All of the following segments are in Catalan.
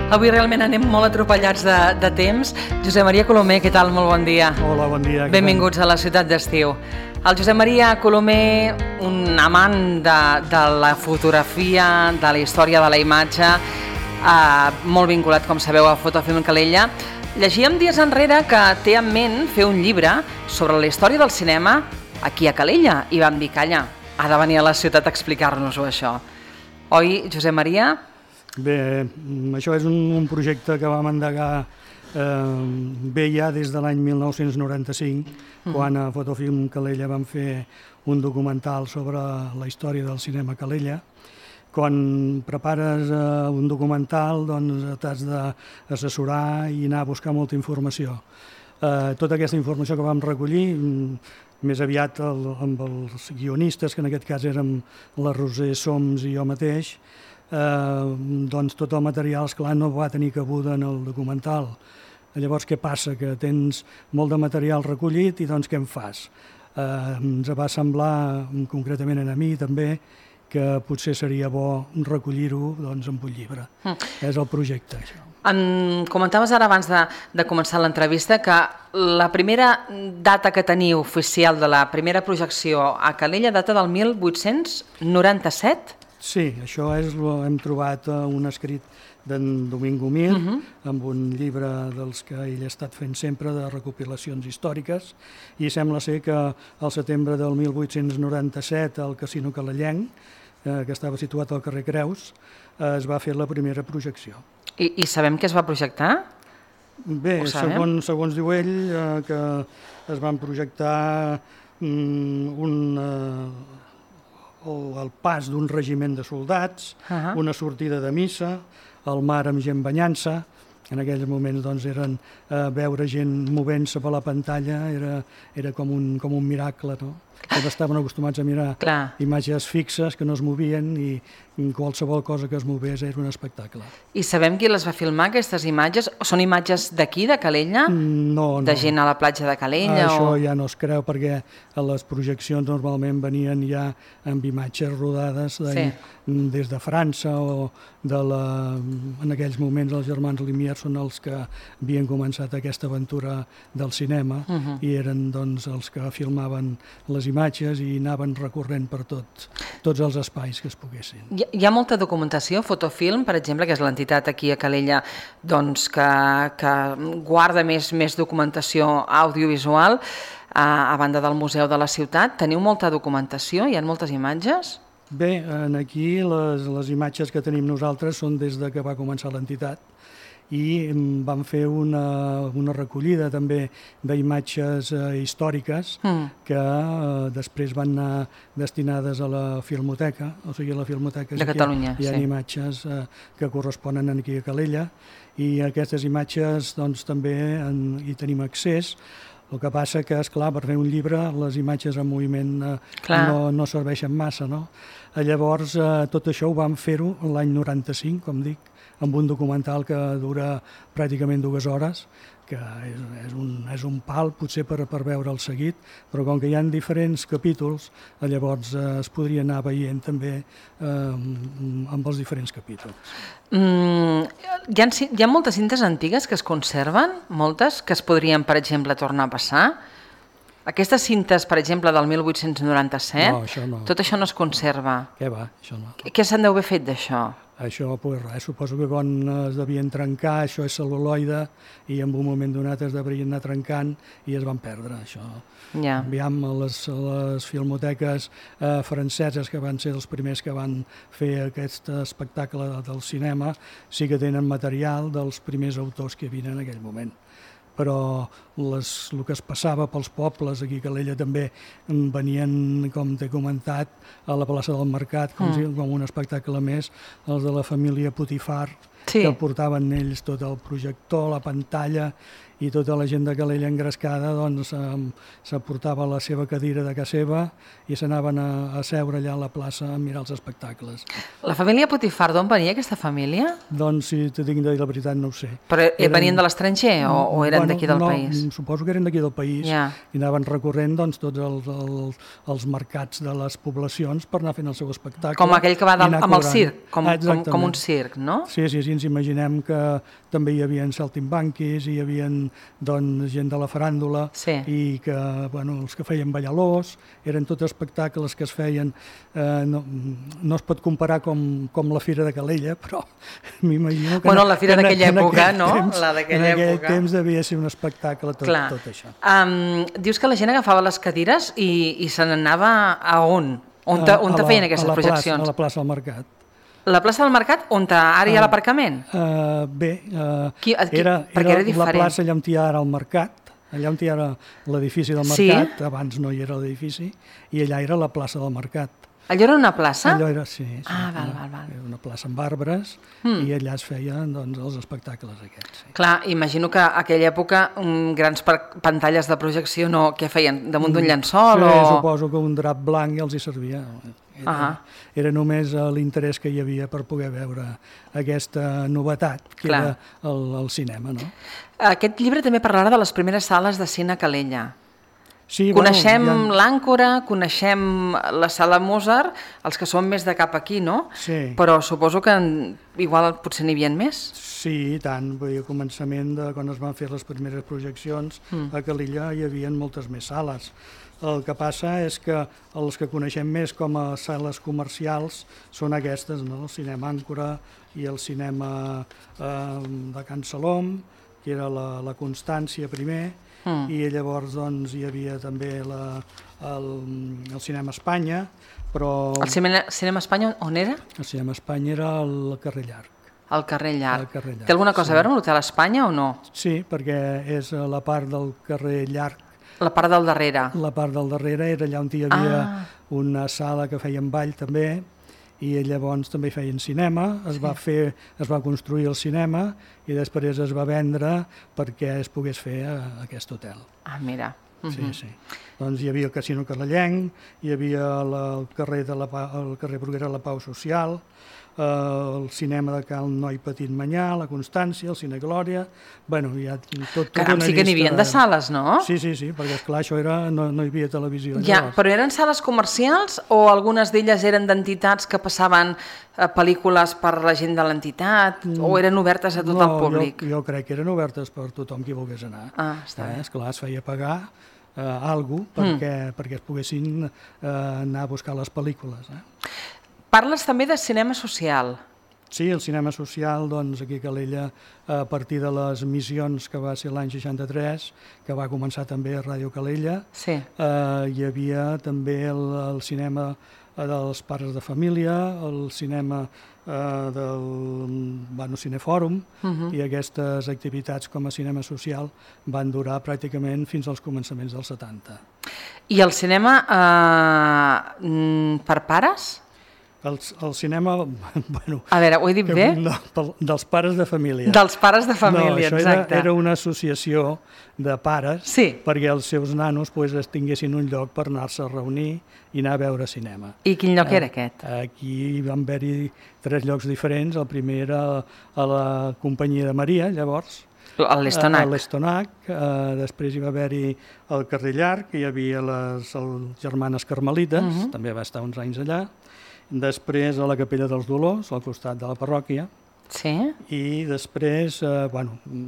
Avui realment anem molt atropellats de temps. Josep Maria Colomer, què tal? Molt bon dia. Hola, bon dia. Benvinguts a la ciutat d'estiu. El Josep Maria Colomer, un amant de la fotografia, de la història de la imatge, molt vinculat, com sabeu, a Fotofilm Calella. Llegíem dies enrere que té en ment fer un llibre sobre la història del cinema aquí a Calella i vam dir, calla, ha de venir a la ciutat a explicar-nos-ho això. Oi, Josep Maria? Bé, això és un projecte que vam endegar bé ja des de l'any 1995, quan a Fotofilm Calella vam fer un documental sobre la història del cinema a Calella. Quan prepares un documental, doncs t'has d'assessorar i anar a buscar molta informació. Tota aquesta informació que vam recollir, més aviat amb els guionistes, que en aquest cas érem la Roser Soms i jo mateix, doncs tot el material, esclar, no va tenir cabuda en el documental. Llavors, què passa? Que tens molt de material recollit i doncs què en fas? Ens va semblar, concretament a mi també, que potser seria bo recollir-ho doncs, en un llibre. És el projecte, això. Em comentaves ara abans de començar l'entrevista que la primera data que teniu oficial de la primera projecció a Calella data del 1897? Sí, això hem trobat un escrit d'en Domingo Mir, amb un llibre dels que ell ha estat fent sempre de recopilacions històriques, i sembla ser que al setembre del 1897 al Casino Calellenc, que estava situat al carrer Creus, es va fer la primera projecció. I sabem què es va projectar? Bé, segons diu ell, que es van projectar el pas d'un regiment de soldats, una sortida de missa, el mar amb gent banyant-se. En aquells moments doncs, veure gent movent-se per la pantalla era com un miracle, no? Tots estaven acostumats a mirar imatges fixes que no es movien i qualsevol cosa que es movés era un espectacle. I sabem qui les va filmar, aquestes imatges? Són imatges d'aquí, de Calella? No. De gent a la platja de Calella? Això ja no es creu, perquè les projeccions normalment venien ja amb imatges rodades des de França o en aquells moments els germans Lumière són els que havien començat aquesta aventura del cinema i eren doncs, els que filmaven les imatges i anaven recorrent per tots els espais que es poguessin. Hi ha molta documentació, Fotofilm, per exemple, que és l'entitat aquí a Calella doncs, que guarda més documentació audiovisual a banda del Museu de la Ciutat. Teniu molta documentació? Hi ha moltes imatges? Bé, aquí les imatges que tenim nosaltres són des que va començar l'entitat i vam fer una recollida també d'imatges històriques que després van anar destinades a la Filmoteca, o sigui a la Filmoteca de Catalunya. Hi ha imatges que corresponen aquí a Calella i aquestes imatges doncs, també hi tenim accés. El que passa que, esclar, per fer un llibre les imatges en moviment no serveixen massa, no? Llavors, tot això ho vam fer-ho l'any 95, com dic, amb un documental que dura pràcticament 2 hores, que és un pal potser per veure'l seguit, però com que hi ha diferents capítols, llavors es podria anar veient també amb els diferents capítols. Hi ha moltes cintes antigues que es conserven, moltes, que es podrien, per exemple, tornar a passar. Aquestes cintes, per exemple, del 1897, no, això no. Tot això no es conserva. Què va, això no. Què se'n deu haver fet d'això? Això, pues res, suposo que quan es devien trencar, això és cel·luloide, i en un moment donat es deurien anar trencant i es van perdre, això. Aviam, les filmoteques franceses, que van ser els primers que van fer aquest espectacle del cinema, sí que tenen material dels primers autors que hi havia en aquell moment. Però el que es passava pels pobles, aquí a Calella també venien, com t'he comentat, a la plaça del Mercat, com un espectacle més, els de la família Putifar, que portaven ells tot el projector, la pantalla, i tota la gent de Calella engrescada doncs, s'aportava la seva cadira de casa seva i s'anaven a seure allà a la plaça a mirar els espectacles. La família Putifar, d'on venia aquesta família? Doncs, si t'he de dir la veritat, no ho sé. Però venien de l'estranger o eren d'aquí del país? Suposo que eren d'aquí del país i anaven recorrent tots els mercats de les poblacions per anar fent el seu espectacle. Com aquell que va amb el circ, com un circ, no? Sí, ens imaginem que també hi havia saltimbanquis, hi havia doncs, gent de la faràndula, i que els que feien balladors, eren tots espectacles que es feien, no es pot comparar com la Fira de Calella, però m'imagino que... la Fira d'aquella època, no? En aquell temps devia ser un espectacle tot això. Dius que la gent agafava les cadires i se n'anava a on? On te feien aquestes projeccions? A la plaça del Mercat. La plaça del Mercat, on ara hi ha l'aparcament? Bé, era diferent. La plaça allà on hi ha ara el mercat, allà on hi ha l'edifici del mercat, abans no hi era l'edifici, i allà era la plaça del Mercat. Allò era una plaça? Allò era, sí. Val. Era una plaça amb arbres i allà es feien els espectacles aquests. Sí. Clar, imagino que a aquella època grans pantalles de projecció què feien? Damunt d'un llençol? Sí, suposo que un drap blanc els hi servia. Era només l'interès que hi havia per poder veure aquesta novetat, que era el cinema. No? Aquest llibre també parlarà de les primeres sales de cine a Calella. Sí, coneixem l'Àncora, coneixem la Sala Mozart, els que són més de cap aquí, no? Sí. Però suposo que igual potser n'hi havia més? Sí, i tant. Al començament, quan es van fer les primeres projeccions, a Calella hi havia moltes més sales. El que passa és que els que coneixem més com a sales comercials són aquestes, no? El cinema Àncora i el cinema de Can Salom, que era la Constància primer, i llavors doncs, hi havia també el cinema Espanya, però... El cinema Espanya on era? El cinema Espanya era al carrer Llarg. Al carrer Llarg. Té alguna cosa a veure amb l'Hotel Espanya o no? Sí, perquè és la part del carrer Llarg. La part del darrere. La part del darrere era allà on hi havia una sala que feien ball també, i llavors també feien cinema, es va construir el cinema i després es va vendre perquè es pogués fer aquest hotel. Mira. Sí. Doncs hi havia el Casino Carrellenc, hi havia el carrer Bruguera de la Pau Social, el cinema de Cal Noi Petit Manyà, la Constància, el Cine Glòria... hi ha tot una llista... sí que n'hi havia de sales, no? Sí, perquè esclar, això no hi havia televisió. Però eren sales comercials o algunes d'elles eren d'entitats que passaven pel·lícules per la gent de l'entitat o eren obertes a tot el públic? Jo crec que eren obertes per tothom qui volgués anar. Està bé. Esclar, es feia pagar alguna cosa perquè es poguessin anar a buscar les pel·lícules. Parles també de cinema social. Sí, el cinema social, doncs, aquí a Calella, a partir de les missions que va ser l'any 63, que va començar també a Ràdio Calella, hi havia també el cinema dels pares de família, el cinema del Cinefòrum, i aquestes activitats com a cinema social van durar pràcticament fins als començaments dels 70. I el cinema per pares? El cinema, a veure, ho he dit bé? Dels pares de família. Dels pares de família, exacte. Era una associació de pares perquè els seus nanos tinguessin un lloc per anar-se a reunir i anar a veure cinema. I quin lloc era aquest? Aquí van haver-hi 3 llocs diferents. El primer era a la Companyia de Maria, llavors. A l'Estonac. A l'Estonac. Després hi va haver-hi el carrer Llarg, que hi havia les germanes carmelites, també va estar uns anys allà. Després a la Capella dels Dolors, al costat de la parròquia. Sí. I després,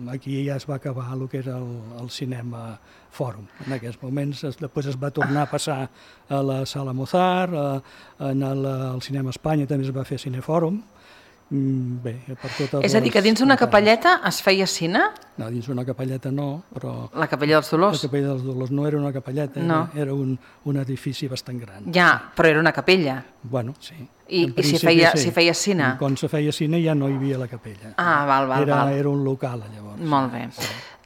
aquí ja es va acabar el que era el cinema Fòrum. En aquests moments, després es va tornar a passar a la Sala Mozart, al cinema Espanya també es va fer Cinefòrum. Bé, per totes és a dir, que dins d'una capelleta es feia cine? No, dins d'una capelleta no, però... La Capella dels Dolors? La Capella dels Dolors no era una capelleta, era un edifici bastant gran. Ja, però era una capella. Bueno, sí. I si feia cine? Quan se feia cine ja no hi havia la capella. Val. Era un local, llavors. Molt bé.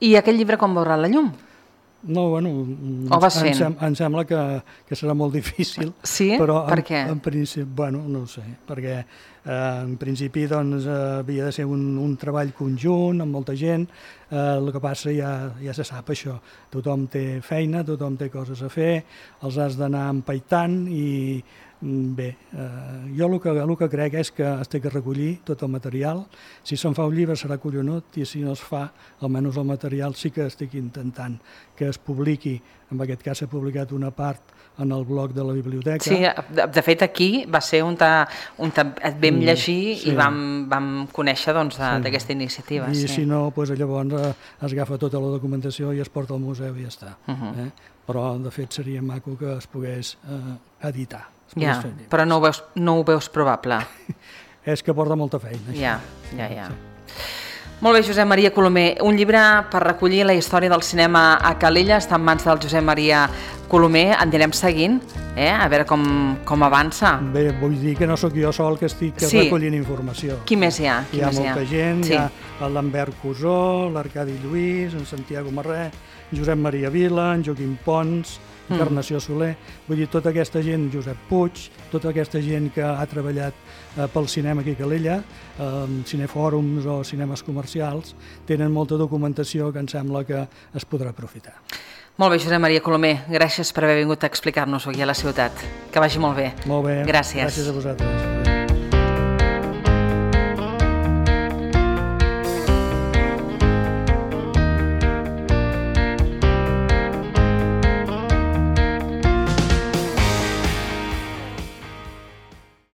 I aquest llibre com veurà la llum? No, em sembla que serà molt difícil. Sí? Per què? En principi, no ho sé, perquè en principi havia de ser un treball conjunt amb molta gent, el que passa ja se sap això, tothom té feina, tothom té coses a fer, els has d'anar empaitant i bé, jo el que crec és que es té que recollir tot el material. Si se'n fa un llibre serà collonut i si no es fa, almenys el material sí que estic intentant que es publiqui. En aquest cas s'ha publicat una part en el blog de la biblioteca. Sí, de fet aquí va ser on et vam llegir i vam conèixer d'aquesta iniciativa. I si no, llavors es agafa tota la documentació i es porta al museu i ja està. Però de fet seria maco que es pogués editar. Ja, però no ho veus probable. És que porta molta feina. Ja. Molt bé, Josep Maria Colomer. Un llibre per recollir la història del cinema a Calella està en mans del Josep Maria Colomer. En anirem seguint, a veure com avança. Bé, vull dir que no sóc jo sol que estic recollint informació. Qui més hi ha? Hi ha molta gent, hi ha el Lambert Cusó, l'Arcadi Lluís, en Santiago Marré, Josep Maria Vila, en Joaquim Pons, Encarnació Soler, vull dir, tota aquesta gent, Josep Puig, tota aquesta gent que ha treballat pel cinema aquí a Calella, cinefòrums o cinemes comercials, tenen molta documentació que em sembla que es podrà aprofitar. Molt bé, Josep Maria Colomer, gràcies per haver vingut a explicar-nos aquí a la ciutat. Que vagi molt bé. Molt bé. Gràcies. Gràcies a vosaltres.